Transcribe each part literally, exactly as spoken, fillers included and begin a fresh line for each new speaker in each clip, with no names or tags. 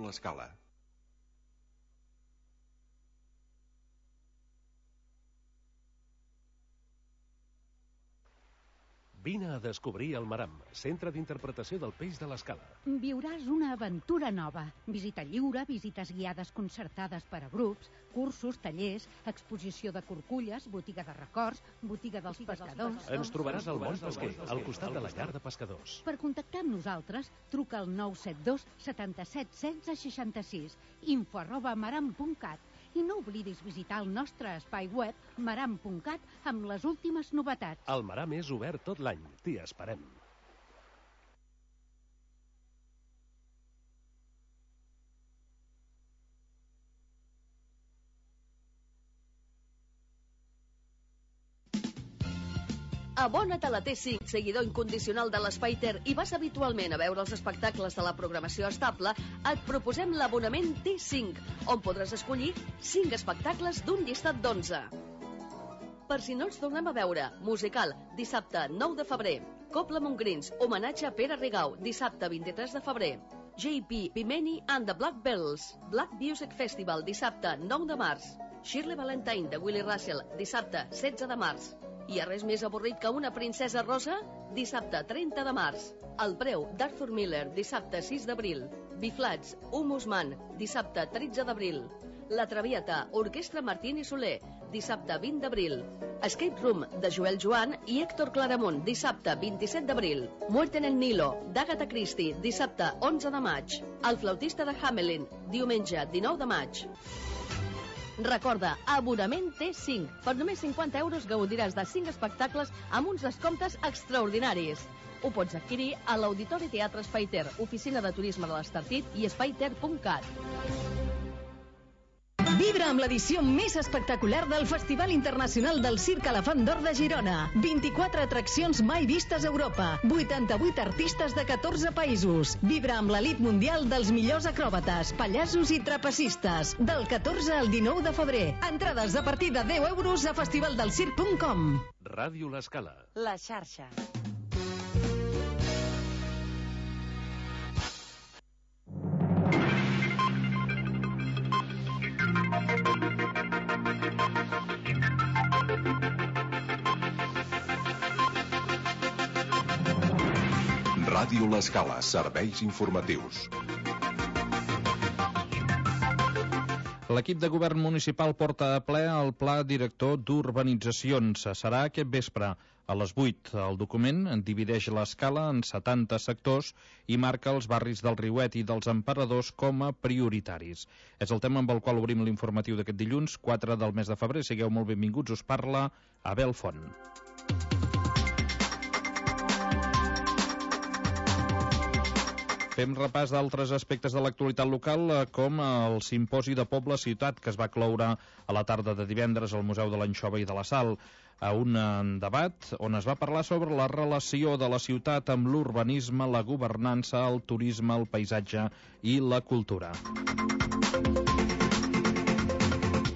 l'Escala.
Vine a descobrir el Maram, centre d'interpretació del peix de l'Escala.
Viuràs una aventura nova. Visita lliure, visites guiades concertades per a grups, cursos, tallers, exposició de corculles, botiga de records, botiga dels pescadors...
Ens trobaràs al Mont Pesquer, al costat de la llar de pescadors.
Per contactar amb nosaltres, truca al nou set dos setanta-set setze seixanta-sis, info arroba maram punt cat. I no oblidis visitar el nostre espai web maram punt cat amb les últimes novetats.
El Maram és obert tot l'any. T'hi esperem.
Abona't a la T cinc, seguidor incondicional de l'Espai Ter, i vas habitualment a veure els espectacles de la programació estable, et proposem l'abonament T cinc, on podràs escollir cinc espectacles d'un llistat d'onze. Per si no ens tornem a veure, musical, dissabte nou de febrer. Cobla Montgrins, homenatge a Pere Rigau, dissabte vint-i-tres de febrer. J P Bimini and the Black Bells, Black Music Festival, dissabte nou de març. Shirley Valentine de Willie Russell, dissabte setze de març. Hi ha res més avorrit que una princesa rosa? Dissabte trenta de març. El preu d'Arthur Miller, dissabte sis d'abril. Biflats, Humus Man, dissabte tretze d'abril. La Traviata, Orquestra Martín i Soler, dissabte vint d'abril. Escape Room, de Joel Joan i Héctor Claramunt, dissabte vint-i-set d'abril. Muerte en el Nilo, d'Agatha Christie, dissabte onze de maig. El flautista de Hamelin, diumenge dinou de maig. Recorda, abonament T cinc. Per només cinquanta euros gaudiràs de cinc espectacles amb uns descomptes extraordinaris. Ho pots adquirir a l'Auditori Teatre Espai Ter, oficina de turisme de l'Estartit i espaiter punt cat.
Vibra amb l'edició més espectacular del Festival Internacional del Circ Elefant d'Or de Girona. vint-i-quatre atraccions mai vistes a Europa. vuitanta-vuit artistes de catorze països. Vibra amb l'elit mundial dels millors acròbates, pallassos i trapecistes. Del catorze al dinou de febrer. Entrades a partir de deu euros a festivaldelsirc punt com.
Ràdio l'Escala.
La xarxa.
Ràdio l'Escala, serveis informatius.
L'equip de govern municipal porta a ple el Pla Director d'Urbanitzacions. Serà aquest vespre a les vuit. El document divideix l'Escala en setanta sectors i marca els barris del Riuet i dels Emperadors com a prioritaris. És el tema amb el qual obrim l'informatiu d'aquest dilluns, quatre del mes de febrer. Sigueu molt benvinguts, us parla Abel Font. Fem repàs d'altres aspectes de l'actualitat local, com el simposi de Poble-Ciutat, que es va cloure a la tarda de divendres al Museu de l'Anxova i de la Sal, a un debat on es va parlar sobre la relació de la ciutat amb l'urbanisme, la governança, el turisme, el paisatge i la cultura.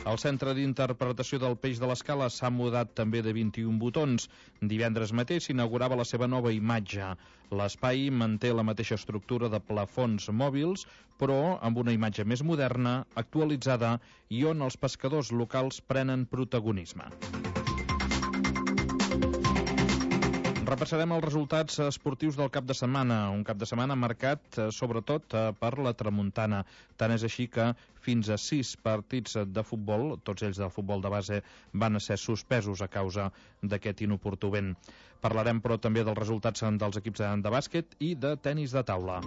El Centre d'Interpretació del Peix de l'Escala s'ha mudat també de vint-i-un botons. Divendres mateix s'inaugurava la seva nova imatge. L'espai manté la mateixa estructura de plafons mòbils, però amb una imatge més moderna, actualitzada i on els pescadors locals prenen protagonisme. Repassarem els resultats esportius del cap de setmana, un cap de setmana marcat eh, sobretot eh, per la tramuntana. Tant és així que fins a sis partits de futbol, tots ells del futbol de base, van ser suspesos a causa d'aquest inoportú vent. Parlarem però també dels resultats dels equips de bàsquet i de tenis de taula.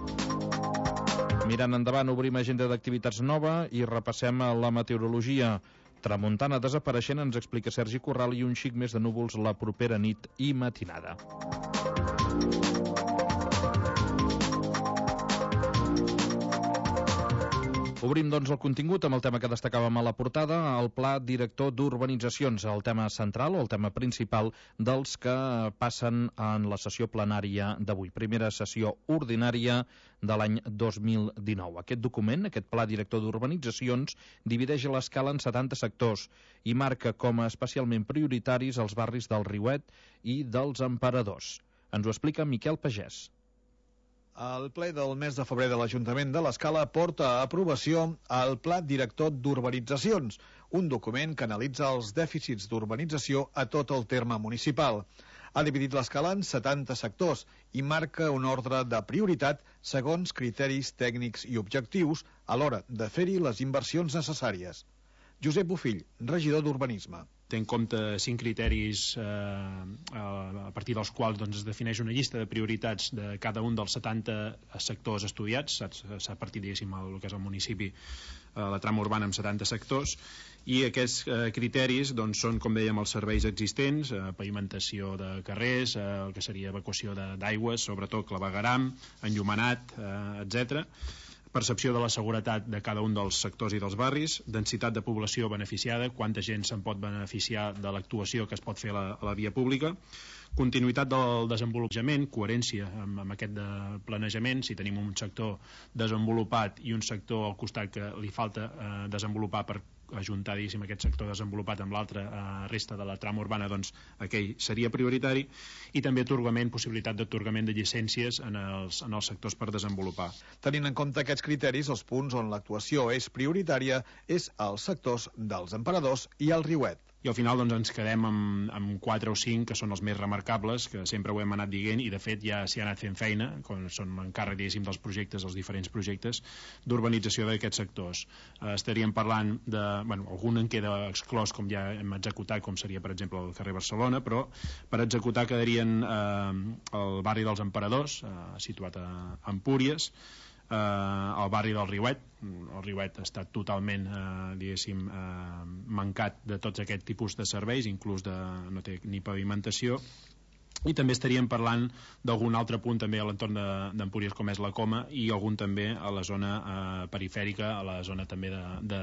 Mirant endavant, obrim agenda d'activitats nova i repassem la meteorologia. Tramuntana desapareixent, ens explica Sergi Corral, i un xic més de núvols la propera nit i matinada. Obrim, doncs, el contingut amb el tema que destacàvem a la portada, el Pla Director d'Urbanitzacions, el tema central o el tema principal dels que passen en la sessió plenària d'avui. Primera sessió ordinària de l'any dos mil dinou. Aquest document, aquest Pla Director d'Urbanitzacions, divideix l'Escala en setanta sectors i marca com a especialment prioritaris els barris del Riuet i dels Emperadors. Ens ho explica Miquel Pagès.
El ple del mes de febrer de l'Ajuntament de l'Escala porta a aprovació el Pla Director d'Urbanitzacions, un document que analitza els dèficits d'urbanització a tot el terme municipal. Ha dividit l'Escala en setanta sectors i marca un ordre de prioritat segons criteris tècnics i objectius a l'hora de fer-hi les inversions necessàries. Josep Bofill, regidor d'Urbanisme.
Té en compte cinc criteris eh, a partir dels quals doncs, es defineix una llista de prioritats de cada un dels setanta sectors estudiats. S'ha partit, diguéssim, el que és el municipi, eh, la trama urbana amb setanta sectors, i aquests eh, criteris doncs, són, com dèiem, els serveis existents, eh, pavimentació de carrers, eh, el que seria evacuació d'aigües, sobretot clavegueram, enllumenat, eh, etcètera, percepció de la seguretat de cada un dels sectors i dels barris, densitat de població beneficiada, quanta gent se'n pot beneficiar de l'actuació que es pot fer a la, a la via pública, continuïtat del desenvolupament, coherència amb, amb aquest de planejament, si tenim un sector desenvolupat i un sector al costat que li falta eh, desenvolupar per ajuntar, diguéssim, aquest sector desenvolupat amb l'altra eh, resta de la trama urbana, doncs aquell seria prioritari, i també atorgament, possibilitat d'atorgament de llicències en els, en els sectors per desenvolupar.
Tenint en compte aquests criteris, els punts on l'actuació és prioritària és als sectors dels Emperadors i el Riuet.
I al final doncs, ens quedem amb, amb quatre o cinc que són els més remarcables, que sempre ho hem anat dient, i de fet ja s'hi ha anat fent feina, quan són encàrrec, diguéssim, dels projectes, els diferents projectes d'urbanització d'aquests sectors. Eh, estaríem parlant de, bueno, algun en queda exclòs, com ja hem executat, com seria, per exemple, el carrer Barcelona, però per executar quedarien eh, el barri dels Emperadors, eh, situat a Empúries, Uh, al barri del Riuet. El Riuet està totalment eh, diguéssim eh, mancat de tots aquests tipus de serveis, inclús de, no té ni pavimentació, i també estaríem parlant d'algun altre punt també a l'entorn d'Empúries, com és la Coma, i algun també a la zona eh, perifèrica, a la zona també de, de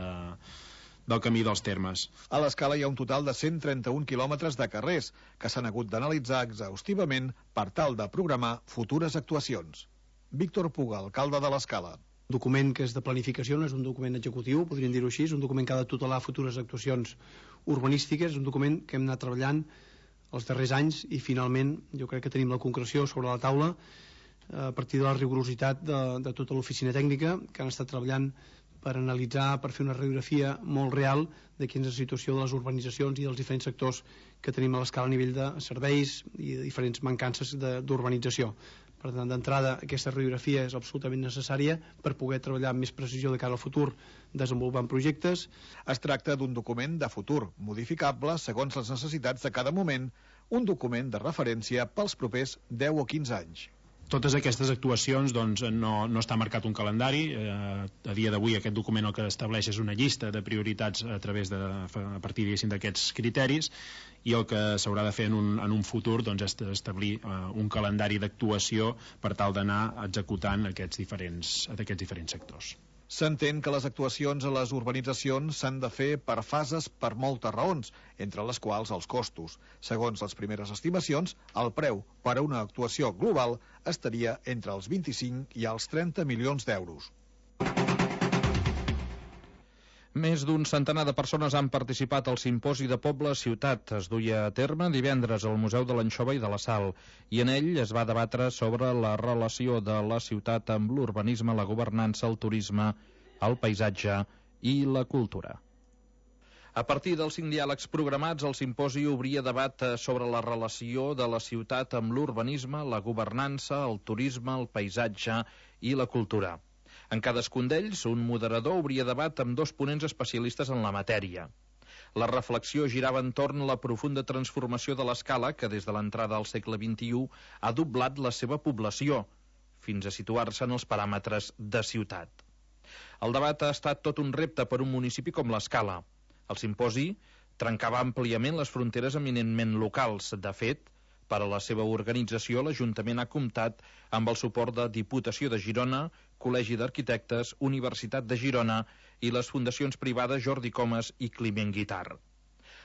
del camí dels Termes.
A l'Escala hi ha un total de cent trenta-un quilòmetres de carrers que s'han hagut d'analitzar exhaustivament per tal de programar futures actuacions. Víctor Puga, alcalde de l'Escala.
Un document que és de planificació, no és un document executiu, podríem dir-ho així, és un document que ha de tutelar futures actuacions urbanístiques, és un document que hem anat treballant els darrers anys i finalment jo crec que tenim la concreció sobre la taula a partir de la rigorositat de, de tota l'oficina tècnica que han estat treballant per analitzar, per fer una radiografia molt real de quina és la situació de les urbanitzacions i dels diferents sectors que tenim a l'Escala a nivell de serveis i de diferents mancances d'urbanització. Per tant, d'entrada, aquesta radiografia és absolutament necessària per poder treballar amb més precisió de cara al futur desenvolupant projectes.
Es tracta d'un document de futur, modificable segons les necessitats de cada moment, un document de referència pels propers deu o quinze anys.
Totes aquestes actuacions doncs, no, no està marcat un calendari. Eh, a dia d'avui aquest document el que estableix és una llista de prioritats a través de, a partir d'aquests criteris, i el que s'haurà de fer en un, en un futur doncs, és establir eh, un calendari d'actuació per tal d'anar executant aquests diferents, aquests diferents sectors.
S'entén que les actuacions a les urbanitzacions s'han de fer per fases per moltes raons, entre les quals els costos. Segons les primeres estimacions, el preu per a una actuació global estaria entre els vint-i-cinc i els trenta milions d'euros.
Més d'un centenar de persones han participat al Simposi de Poble Ciutat. Es duia a terme divendres al Museu de l'Anxova i de la Sal, i en ell es va debatre sobre la relació de la ciutat amb l'urbanisme, la governança, el turisme, el paisatge i la cultura. A partir dels cinc diàlegs programats, el simposi obria debat sobre la relació de la ciutat amb l'urbanisme, la governança, el turisme, el paisatge i la cultura. En cadascun d'ells, un moderador obria debat amb dos ponents especialistes en la matèria. La reflexió girava entorn la profunda transformació de l'Escala, que des de l'entrada al segle vint-i-u ha doblat la seva població, fins a situar-se en els paràmetres de ciutat. El debat ha estat tot un repte per un municipi com l'Escala. El simposi trencava àmpliament les fronteres eminentment locals. De fet, per a la seva organització, l'Ajuntament ha comptat amb el suport de Diputació de Girona, Col·legi d'Arquitectes, Universitat de Girona i les fundacions privades Jordi Comas i Climent Guitart.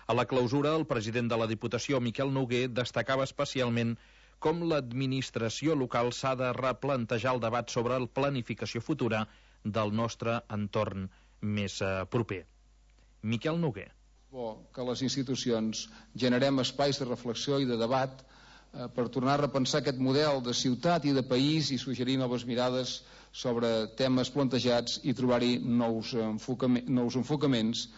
A la clausura, el president de la Diputació, Miquel Noguer, destacava especialment com l'administració local s'ha de replantejar el debat sobre la planificació futura del nostre entorn més eh, proper. Miquel Noguer.
Bo que les institucions generem espais de reflexió i de debat per tornar a repensar aquest model de ciutat i de país i suggerir noves mirades sobre temes plantejats i trobar-hi nous, enfocaments, nous enfocaments.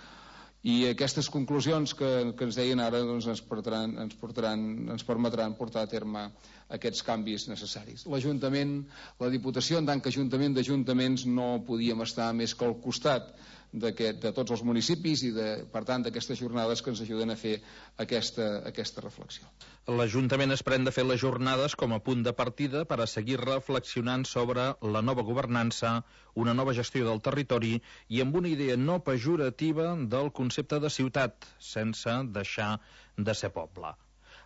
I aquestes conclusions que, que ens deien ara doncs ens, portaran, ens, portaran, ens permetran portar a terme aquests canvis necessaris. L'Ajuntament, la Diputació, en tant que Ajuntament d'Ajuntaments, no podíem estar més que al costat de tots els municipis i, de, per tant, d'aquestes jornades que ens ajuden a fer aquesta, aquesta reflexió.
L'Ajuntament es pren de fer les jornades com a punt de partida per a seguir reflexionant sobre la nova governança, una nova gestió del territori i amb una idea no pejorativa del concepte de ciutat, sense deixar de ser poble.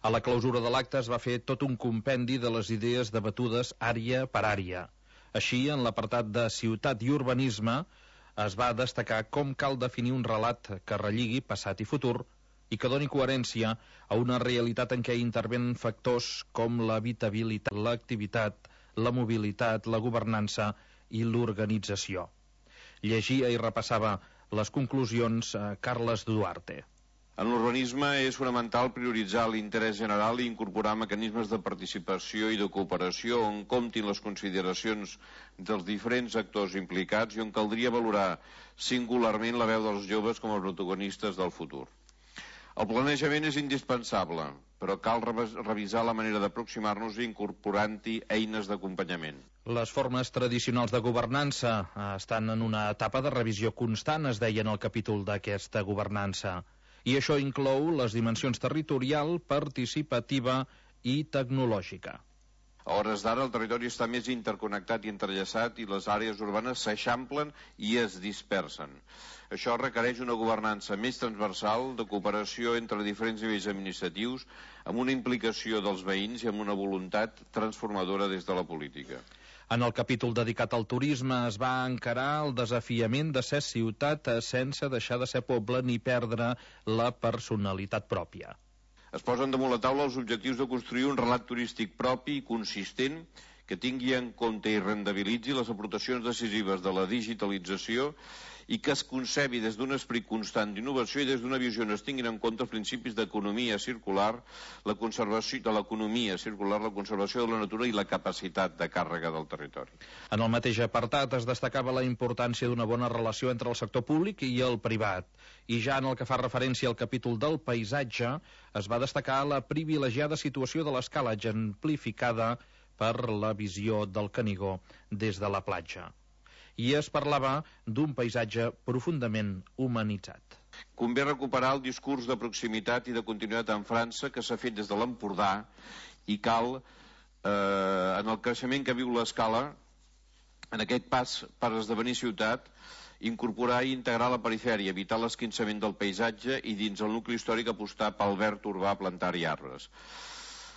A la clausura de l'acte es va fer tot un compendi de les idees debatudes àrea per àrea. Així, en l'apartat de ciutat i urbanisme, es va destacar com cal definir un relat que relligui passat i futur i que doni coherència a una realitat en què intervenen factors com l'habitabilitat, l'activitat, la mobilitat, la governança i l'organització. Llegia i repassava les conclusions a Carles Duarte.
En l'urbanisme és fonamental prioritzar l'interès general i incorporar mecanismes de participació i de cooperació on comptin les consideracions dels diferents actors implicats i on caldria valorar singularment la veu dels joves com a protagonistes del futur. El planejament és indispensable, però cal revisar la manera d'aproximar-nos incorporant-hi eines d'acompanyament.
Les formes tradicionals de governança estan en una etapa de revisió constant, es deia en el capítol d'aquesta governança. I això inclou les dimensions territorial, participativa i tecnològica.
A hores d'ara el territori està més interconnectat i entrellaçat i les àrees urbanes s'eixamplen i es dispersen. Això requereix una governança més transversal, de cooperació entre diferents nivells administratius, amb una implicació dels veïns i amb una voluntat transformadora des de la política.
En el capítol dedicat al turisme es va encarar el desafiament de ser ciutat sense deixar de ser poble ni perdre la personalitat pròpia.
Es posen damunt la taula els objectius de construir un relat turístic propi i consistent que tingui en compte i rendibilitzi les aportacions decisives de la digitalització i que es concebi des d'un esperit constant d'innovació i des d'una visió on es tinguin en compte els principis d'economia circular, la conservació de l'economia circular, la conservació de la natura i la capacitat de càrrega del territori.
En el mateix apartat es destacava la importància d'una bona relació entre el sector públic i el privat. I ja en el que fa referència al capítol del paisatge, es va destacar la privilegiada situació de l'escala exemplificada per la visió del Canigó des de la platja. I es parlava d'un paisatge profundament humanitzat.
Convé recuperar el discurs de proximitat i de continuïtat en França que s'ha fet des de l'Empordà i cal, eh, en el creixement que viu l'escala, en aquest pas per esdevenir ciutat, incorporar i integrar la perifèria, evitar l'esquinçament del paisatge i dins el nucli històric apostar pel verd urbà, plantar-hi arbres.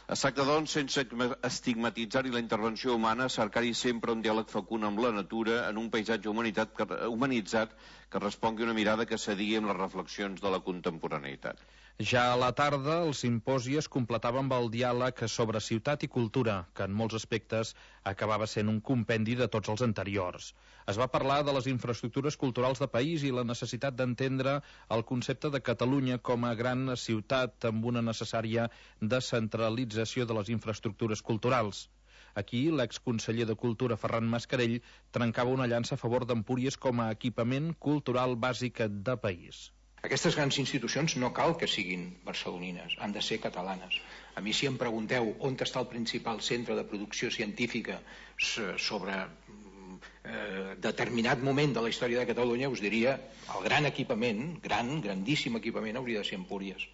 Es tracta, doncs, sense estigmatitzar-hi la intervenció humana, cercar-hi sempre un diàleg fecund amb la natura en un paisatge humanitzat que respongui una mirada que s'adigui amb les reflexions de la contemporaneïtat.
Ja a la tarda, el simposi es completava amb el diàleg sobre ciutat i cultura, que en molts aspectes acabava sent un compendi de tots els anteriors. Es va parlar de les infraestructures culturals de país i la necessitat d'entendre el concepte de Catalunya com a gran ciutat amb una necessària descentralització de les infraestructures culturals. Aquí, l'exconseller de Cultura, Ferran Mascarell, trencava una llança a favor d'Empúries com a equipament cultural bàsic de país.
Aquestes grans institucions no cal que siguin barcelonines, han de ser catalanes. A mi si em pregunteu on està el principal centre de producció científica sobre eh, determinat moment de la història de Catalunya, us diria el gran equipament, gran, grandíssim equipament hauria de ser Empúries.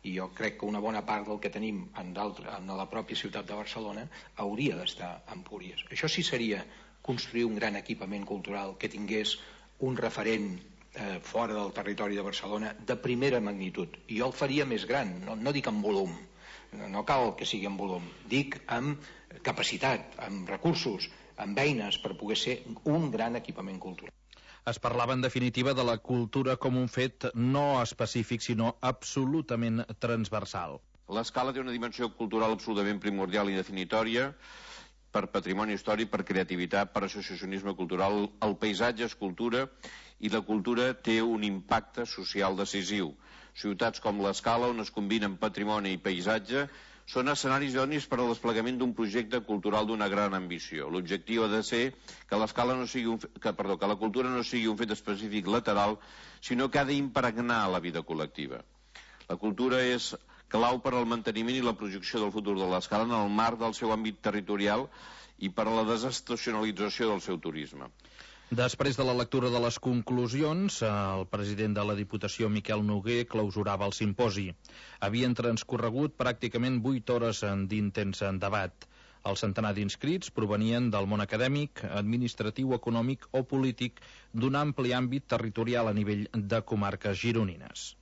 I jo crec que una bona part del que tenim en, en la pròpia ciutat de Barcelona hauria d'estar a Empúries. Això sí seria construir un gran equipament cultural que tingués un referent Eh, fora del territori de Barcelona de primera magnitud, i jo el faria més gran, no, no dic en volum, no, no cal que sigui en volum, dic amb capacitat, amb recursos, amb eines per poder ser un gran equipament cultural.
Es parlava en definitiva de la cultura com un fet no específic sinó absolutament transversal.
L'escala té una dimensió cultural absolutament primordial i definitòria per patrimoni històric, per creativitat, per associacionisme cultural. El paisatge és cultura i la cultura té un impacte social decisiu. Ciutats com l'Escala, on es combinen patrimoni i paisatge, són escenaris idònics per al desplegament d'un projecte cultural d'una gran ambició. L'objectiu ha de ser que l'escala no sigui un, que, perdó, que la cultura no sigui un fet específic lateral, sinó que ha d'impregnar la vida col·lectiva. La cultura és clau per al manteniment i la projecció del futur de l'escala en el marc del seu àmbit territorial i per a la desestacionalització del seu turisme.
Després de la lectura de les conclusions, el president de la Diputació, Miquel Noguer, clausurava el simposi. Havien transcorregut pràcticament vuit hores d'intens debat. El centenar d'inscrits provenien del món acadèmic, administratiu, econòmic o polític d'un ampli àmbit territorial a nivell de comarques gironines.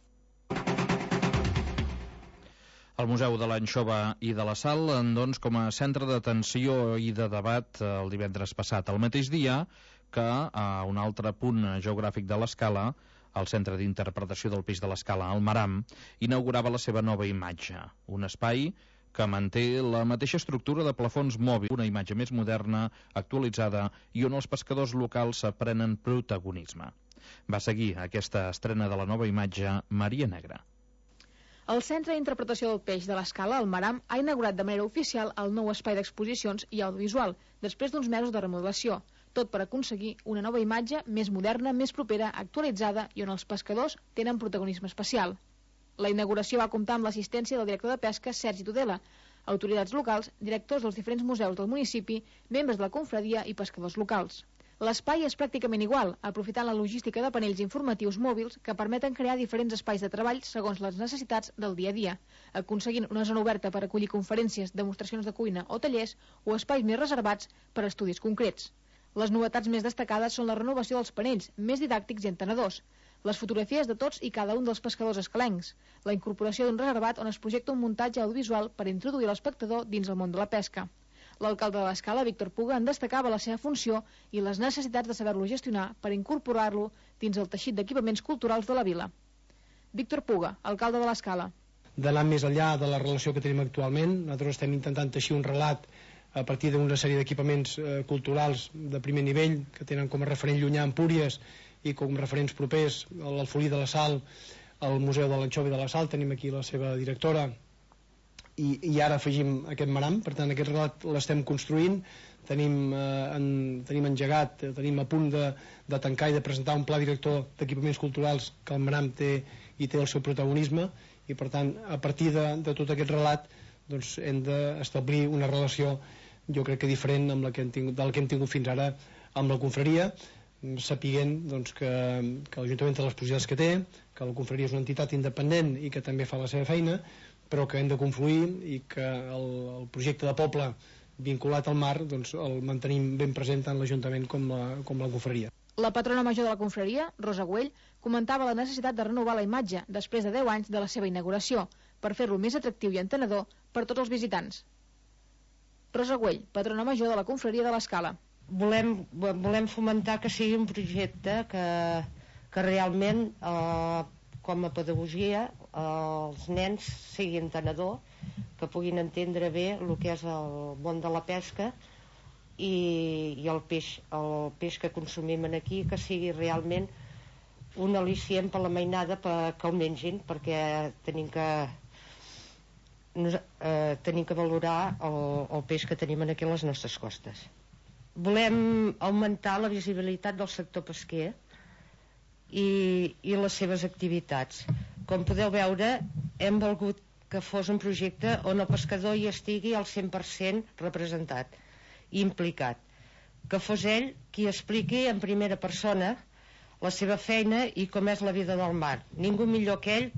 El Museu de l'Anxova i de la Sal, doncs, com a centre d'atenció i de debat el divendres passat, el mateix dia que a un altre punt geogràfic de l'Escala, el Centre d'Interpretació del Peix de l'Escala, el Maram, inaugurava la seva nova imatge, un espai que manté la mateixa estructura de plafons mòbils, una imatge més moderna, actualitzada i on els pescadors locals prenen protagonisme. Va seguir aquesta estrena de la nova imatge Maria Negra.
El Centre d'Interpretació del Peix de l'Escala, el Maram, ha inaugurat de manera oficial el nou espai d'exposicions i audiovisual, després d'uns mesos de remodelació, tot per aconseguir una nova imatge més moderna, més propera, actualitzada i on els pescadors tenen protagonisme especial. La inauguració va comptar amb l'assistència del director de pesca, Sergi Tudela, autoritats locals, directors dels diferents museus del municipi, membres de la confraria i pescadors locals. L'espai és pràcticament igual, aprofitant la logística de panells informatius mòbils que permeten crear diferents espais de treball segons les necessitats del dia a dia, aconseguint una zona oberta per acollir conferències, demostracions de cuina o tallers o espais més reservats per a estudis concrets. Les novetats més destacades són la renovació dels panells, més didàctics i entenedors, les fotografies de tots i cada un dels pescadors escalencs, la incorporació d'un reservat on es projecta un muntatge audiovisual per introduir l'espectador dins el món de la pesca. L'alcalde de l'Escala, Víctor Puga, en destacava la seva funció i les necessitats de saber-lo gestionar per incorporar-lo dins el teixit d'equipaments culturals de la vila. Víctor Puga, alcalde de l'Escala.
D'anar més enllà de la relació que tenim actualment, nosaltres estem intentant teixir un relat a partir d'una sèrie d'equipaments eh, culturals de primer nivell que tenen com a referent llunyà Empúries i com referents propers l'Alfolí de la Sal, el Museu de l'Anxova i de la Sal, tenim aquí la seva directora, i, i ara afegim aquest Maram. Per tant, aquest relat l'estem construint, tenim, eh, en, tenim engegat, tenim a punt de, de tancar i de presentar un pla director d'equipaments culturals que el Maram té i té el seu protagonisme, i per tant, a partir de, de tot aquest relat doncs, hem d'establir una relació, jo crec que diferent amb la que hem tingut, del que hem tingut fins ara amb la confraria, sapiguent doncs, que, que l'Ajuntament té les possibilitats que té, que la confraria és una entitat independent i que també fa la seva feina, però que hem de confluir i que el, el projecte de poble vinculat al mar doncs, el mantenim ben present tant l'Ajuntament com la, com la confraria.
La patrona major de la confraria, Rosa Güell, comentava la necessitat de renovar la imatge després de deu anys de la seva inauguració, per fer-lo més atractiu i entenedor per tots els visitants. Rosa Güell, patrona major de la confraria de l'Escala.
Volem, volem fomentar que sigui un projecte que, que realment, eh, com a pedagogia, eh, els nens siguin entenedor, que puguin entendre bé el que és el món de la pesca i, i el, peix, el peix que consumim aquí, que sigui realment un al·licient per la mainada per, que el mengin, perquè tenim que Nos, eh, tenim que valorar el, el peix que tenim aquí a les nostres costes. Volem augmentar la visibilitat del sector pesquer i, i les seves activitats. Com podeu veure, hem volgut que fos un projecte on el pescador hi estigui al cent per cent representat i implicat, que fos ell qui expliqui en primera persona la seva feina i com és la vida del mar. Ningú millor que ell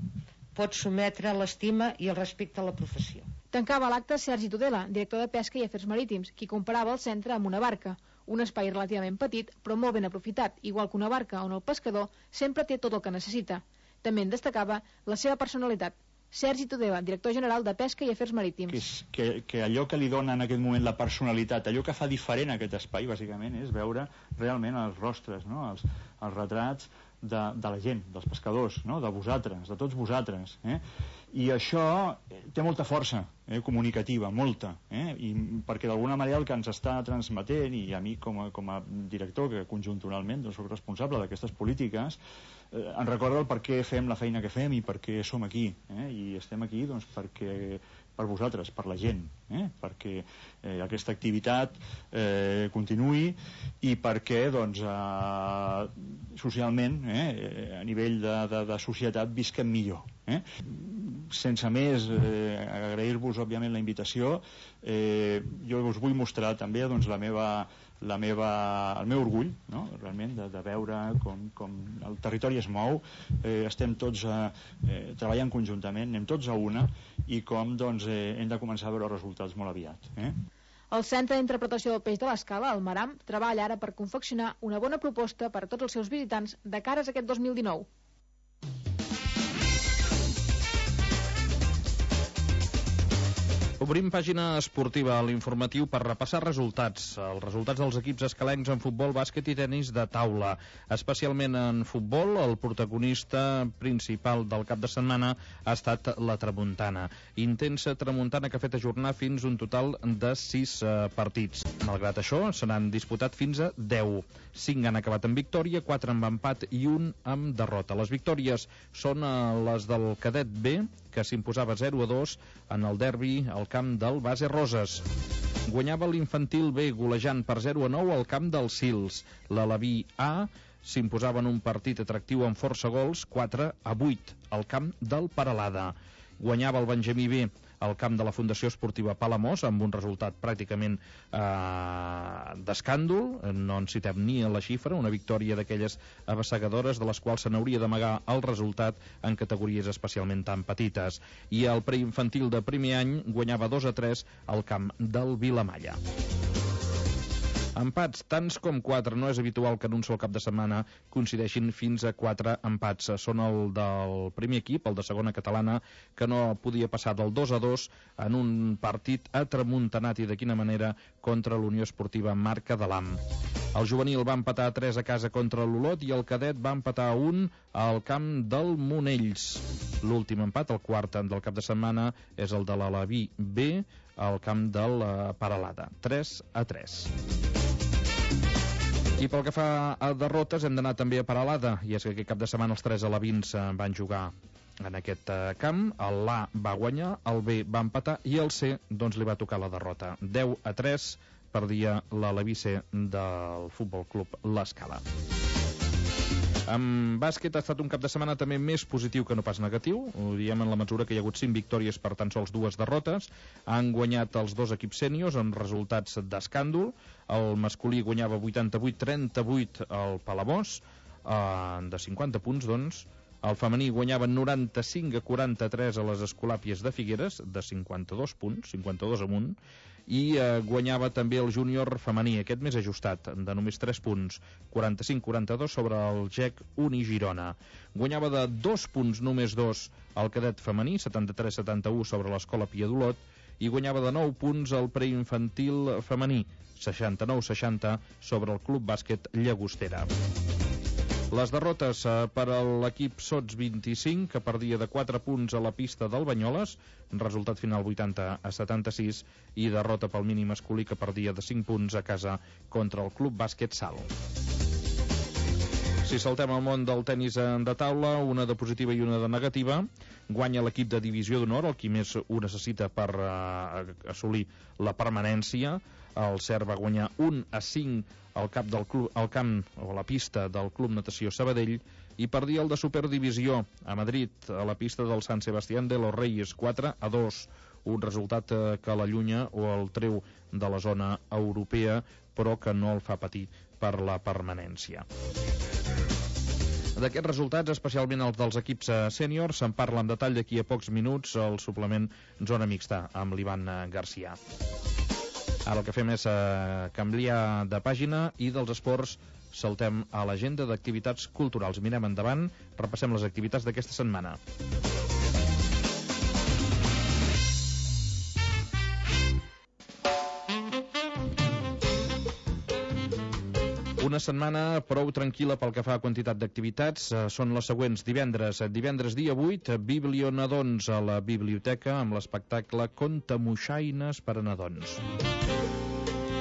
pot sometre l'estima i el respecte a la professió.
Tancava l'acte Sergi Tudela, director de Pesca i Afers Marítims, qui comparava el centre amb una barca, un espai relativament petit però molt ben aprofitat, igual que una barca on el pescador sempre té tot el que necessita. També en destacava la seva personalitat. Sergi Tudela, director general de Pesca i Afers Marítims.
Que, és, que, que allò que li dona en aquest moment la personalitat, allò que fa diferent aquest espai, bàsicament, és veure realment els rostres, no? els, els retrats de, de la gent, dels pescadors, no? De vosaltres, de tots vosaltres. Eh? I això té molta força eh, comunicativa, molta, eh, i perquè d'alguna manera el que ens està transmetent, i a mi com a, com a director, que conjunturalment doncs, soc responsable d'aquestes polítiques, eh, ens recorda el per què fem la feina que fem i per què som aquí, eh, i estem aquí doncs, perquè per vosaltres, per la gent, eh? perquè eh, aquesta activitat eh, continuï i perquè doncs, eh, socialment, eh, a nivell de, de, de societat, visquem millor. Eh? Sense més, eh, agrair-vos òbviament la invitació, eh, jo us vull mostrar també doncs, la meva la meva, el meu orgull, no? Realment, de, de veure com, com el territori es mou, eh, estem tots eh, eh, treballant conjuntament, anem tots a una, i com doncs, eh, hem de començar a veure els resultats molt aviat. Eh?
El Centre d'Interpretació del Peix de l'Escala, el Maram, treballa ara per confeccionar una bona proposta per a tots els seus visitants de cares a aquest dos mil dinou.
Obrim pàgina esportiva a l'informatiu per repassar resultats. Els resultats dels equips escalencs en futbol, bàsquet i tenis de taula. Especialment en futbol, el protagonista principal del cap de setmana ha estat la tramuntana. Intensa tramuntana que ha fet ajornar fins un total de sis eh, partits. Malgrat això, se n'han disputat fins a deu. cinc han acabat amb victòria, quatre amb empat i un amb derrota. Les victòries són eh, les del cadet B, que s'imposava zero a dos en el derbi al camp del Base Roses. Guanyava l'infantil B golejant per zero a nou al camp dels Sils. L'Alaví A s'imposava en un partit atractiu amb força gols, quatre a vuit al camp del Peralada. Guanyava el Benjamí B al camp de la Fundació Esportiva Palamós amb un resultat pràcticament eh, d'escàndol, no en citem ni a la xifra, una victòria d'aquelles abassegadores de les quals se n'hauria d'amagar el resultat en categories especialment tan petites. I el preinfantil de primer any guanyava dos a tres al camp del Vilamalla. Empats, tants com quatre. No és habitual que en un sol cap de setmana coincideixin fins a quatre empats. Són el del primer equip, el de segona catalana, que no podia passar del dos a dos en un partit atramuntanat, i de quina manera, contra l'Unió Esportiva Marca de l'Am. El juvenil va empatar a tres a casa contra l'Olot i el cadet va empatar a un al camp del Monells. L'últim empat, el quart del cap de setmana, és el de l'Alaví B al camp del Peralada. tres a tres. I pel que fa a derrotes hem d'anar també a Peralada, i és que aquest cap de setmana els tres alevins van jugar en aquest camp. L'A va guanyar, el B va empatar i el C doncs li va tocar la derrota. deu a tres perdia l'Aleví C del Futbol Club l'Escala. En bàsquet ha estat un cap de setmana també més positiu que no pas negatiu. Ho diem en la mesura que hi ha hagut cinc victòries per tan sols dues derrotes. Han guanyat els dos equips sèniors amb resultats d'escàndol. El masculí guanyava vuitanta-vuit a trenta-vuit al Palamós, eh, de cinquanta punts, doncs. El femení guanyava noranta-cinc a quaranta-tres a les Escolàpies de Figueres, de cinquanta-dos punts, cinquanta-dos amunt, i eh, guanyava també el júnior femení, aquest més ajustat, de només tres punts, quaranta-cinc a quaranta-dos sobre el G E C Uni Girona. Guanyava de dos punts, només dos, el cadet femení, setanta-tres a setanta-u sobre l'Escola Pia d'Olot, i guanyava de nou punts el preinfantil femení, seixanta-nou a seixanta sobre el Club Bàsquet Llagostera. Les derrotes eh, per a l'equip Sots vint-i-cinc, que perdia de quatre punts a la pista del Banyoles, resultat final vuitanta a setanta-sis, i derrota pel mini masculí, que perdia de cinc punts a casa contra el Club Bàsquet Sal. Si saltem al món del tenis de taula, una de positiva i una de negativa. Guanya l'equip de divisió d'honor, el qui més ho necessita per eh, assolir la permanència. El Cer va guanyar un a cinc al cap del club, al camp o a la pista del Club Natació Sabadell, i perdia el de Superdivisió a Madrid, a la pista del San Sebastián de los Reyes, quatre a dos, un resultat eh, que l'allunya o el treu de la zona europea, però que no el fa patir per la permanència. D'aquests resultats, especialment els dels equips sèniors, se'n parla en detall d'aquí a pocs minuts al suplement Zona Mixta amb l'Ivan Garcia. Ara el que fem és eh, canviar de pàgina i dels esports saltem a l'agenda d'activitats culturals. Mirem endavant, repassem les activitats d'aquesta setmana. Una setmana prou tranquil·la pel que fa a quantitat d'activitats. Són les següents. Divendres, divendres dia vuit, Biblionadons a la biblioteca amb l'espectacle Contamoixaines per a nadons.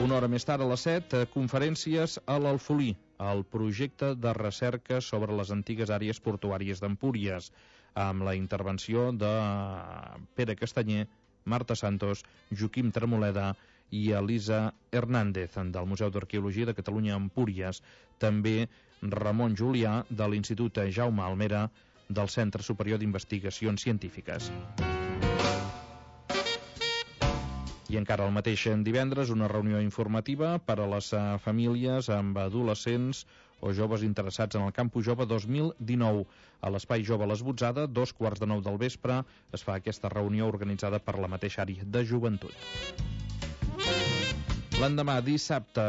Una hora més tard, a les set, conferències a l'Alfolí, el projecte de recerca sobre les antigues àrees portuàries d'Empúries, amb la intervenció de Pere Castanyer, Marta Santos, Joaquim Tremoleda i Elisa Hernández, del Museu d'Arqueologia de Catalunya a Empúries. També Ramon Julià, de l'Institut Jaume Almera, del Centre Superior d'Investigacions Científiques. I encara el mateix divendres, una reunió informativa per a les famílies amb adolescents o joves interessats en el Campus Jove dos mil dinou. A l'Espai Jove Les Botzada, dos quarts de nou del vespre, es fa aquesta reunió organitzada per la mateixa àrea de joventut. L'endemà, dissabte,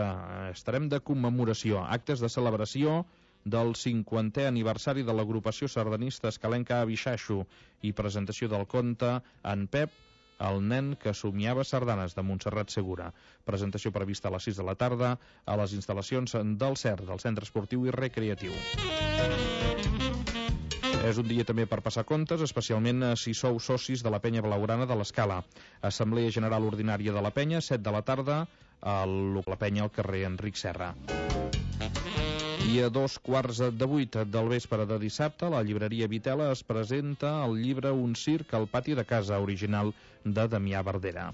estarem de commemoració, actes de celebració del cinquantè aniversari de l'agrupació sardanista escalenca Abixaixo i presentació del conte En Pep, el nen que somiava sardanes, de Montserrat Segura. Presentació prevista a les sis de la tarda a les instal·lacions del C E R, del Centre Esportiu i Recreatiu. És un dia també per passar comptes, especialment si sou socis de la penya blaugrana de l'Escala. Assemblea General Ordinària de la penya, set de la tarda, a la penya al carrer Enric Serra. I a dos quarts de vuit del vespre de dissabte, la llibreria Vitela es presenta el llibre Un circ al pati de casa, original de Damià Verdera.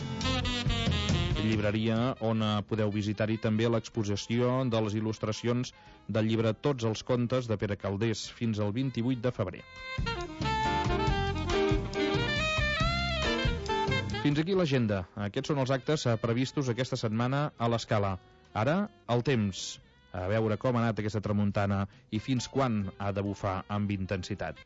Llibreria on podeu visitar-hi també l'exposició de les il·lustracions del llibre Tots els contes de Pere Calders fins al vint-i-vuit de febrer. Fins aquí l'agenda. Aquests són els actes previstos aquesta setmana a l'Escala. Ara, el temps. A veure com ha anat aquesta tramuntana i fins quan ha de bufar amb intensitat.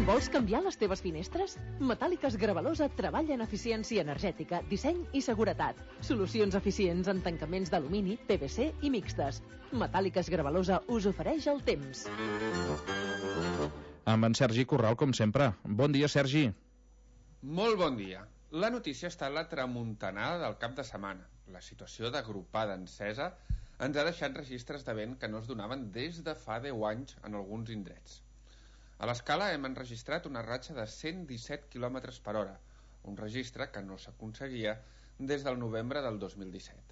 Vols canviar les teves finestres? Metàl·liques Gravalosa treballa en eficiència energètica, disseny i seguretat. Solucions eficients en tancaments d'alumini, P V C i mixtes. Metàl·liques Gravalosa us ofereix el temps.
Amb en Sergi Corral, com sempre. Bon dia, Sergi.
Molt bon dia. La notícia està en la tramuntanada del cap de setmana. La situació d'agrupada encesa ens ha deixat registres de vent que no es donaven des de fa deu anys en alguns indrets. A l'Escala hem enregistrat una ratxa de cent disset quilòmetres per hora, un registre que no s'aconseguia des del novembre del dos mil disset.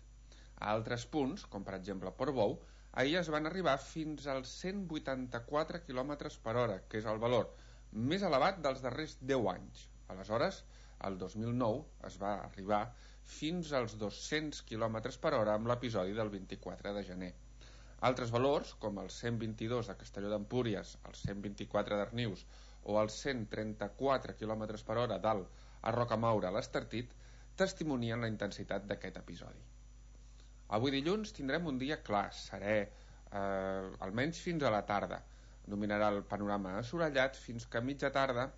A altres punts, com per exemple Portbou, ahir es van arribar fins als cent vuitanta-quatre quilòmetres per hora, que és el valor més elevat dels darrers deu anys. Aleshores, el dos mil nou es va arribar fins als dos-cents quilòmetres per hora amb l'episodi del vint-i-quatre de gener. Altres valors, com els cent vint-i-dos de Castelló d'Empúries, els cent vint-i-quatre d'Arnius o els cent trenta-quatre quilòmetres per hora dalt a Rocamaura, a l'Estartit, testimonien la intensitat d'aquest episodi. Avui dilluns tindrem un dia clar, serè, eh, almenys fins a la tarda. Dominarà el panorama assolellat fins que a mitja tarda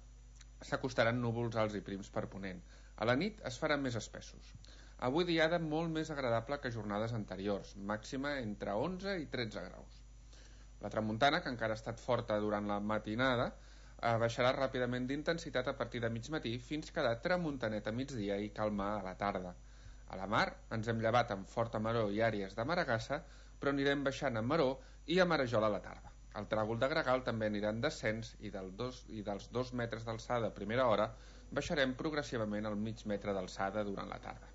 s'acostaran núvols alts i prims per ponent. A la nit es faran més espessos. Avui diada molt més agradable que jornades anteriors, màxima entre onze i tretze graus. La tramuntana, que encara ha estat forta durant la matinada, baixarà ràpidament d'intensitat a partir de mig matí fins que de tramuntanet a migdia i calmar a la tarda. A la mar ens hem llevat amb forta maror i àrees de maragassa, però anirem baixant a maror i a marejol a la tarda. El tràgol de gregal també anirà en descens i, del dos, i dels dos metres d'alçada a primera hora baixarem progressivament al mig metre d'alçada durant la tarda.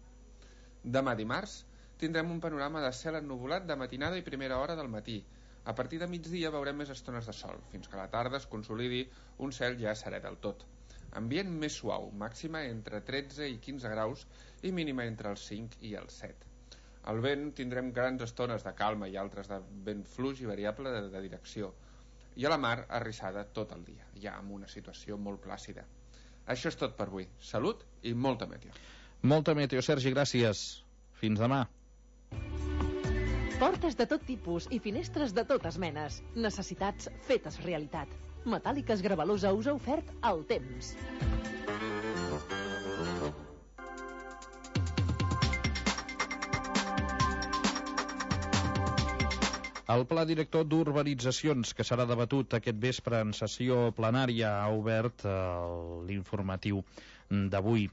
Demà dimarts tindrem un panorama de cel ennuvolat de matinada i primera hora del matí. A partir de migdia veurem més estones de sol, fins que a la tarda es consolidi un cel ja serè del tot. Ambient més suau, màxima entre tretze i quinze graus i mínima entre els cinc i els set. Al vent tindrem grans estones de calma i altres de vent fluix i variable de, de direcció. I a la mar arrissada tot el dia, ja amb una situació molt plàcida. Això és tot per avui. Salut i molta meteo.
Molta meteo, Sergi, gràcies. Fins demà.
Portes de tot tipus i finestres de totes menes. Necessitats fetes realitat. Metàl·liques Gravalosa us ha ofert el temps.
El Pla Director d'Urbanitzacions, que serà debatut aquest vespre en sessió plenària, ha obert eh, l'informatiu d'avui.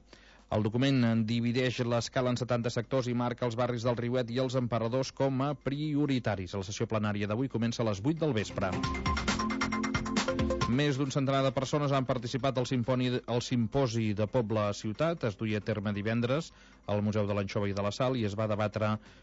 El document divideix l'escala en setanta sectors i marca els barris del Riuet i els Emperadors com a prioritaris. La sessió plenària d'avui comença a les vuit del vespre. Més d'un centenar de persones han participat al, simponi, al simposi de Poble a Ciutat. Es duia a terme divendres al Museu de l'Anxova i de la Sal i es va debatre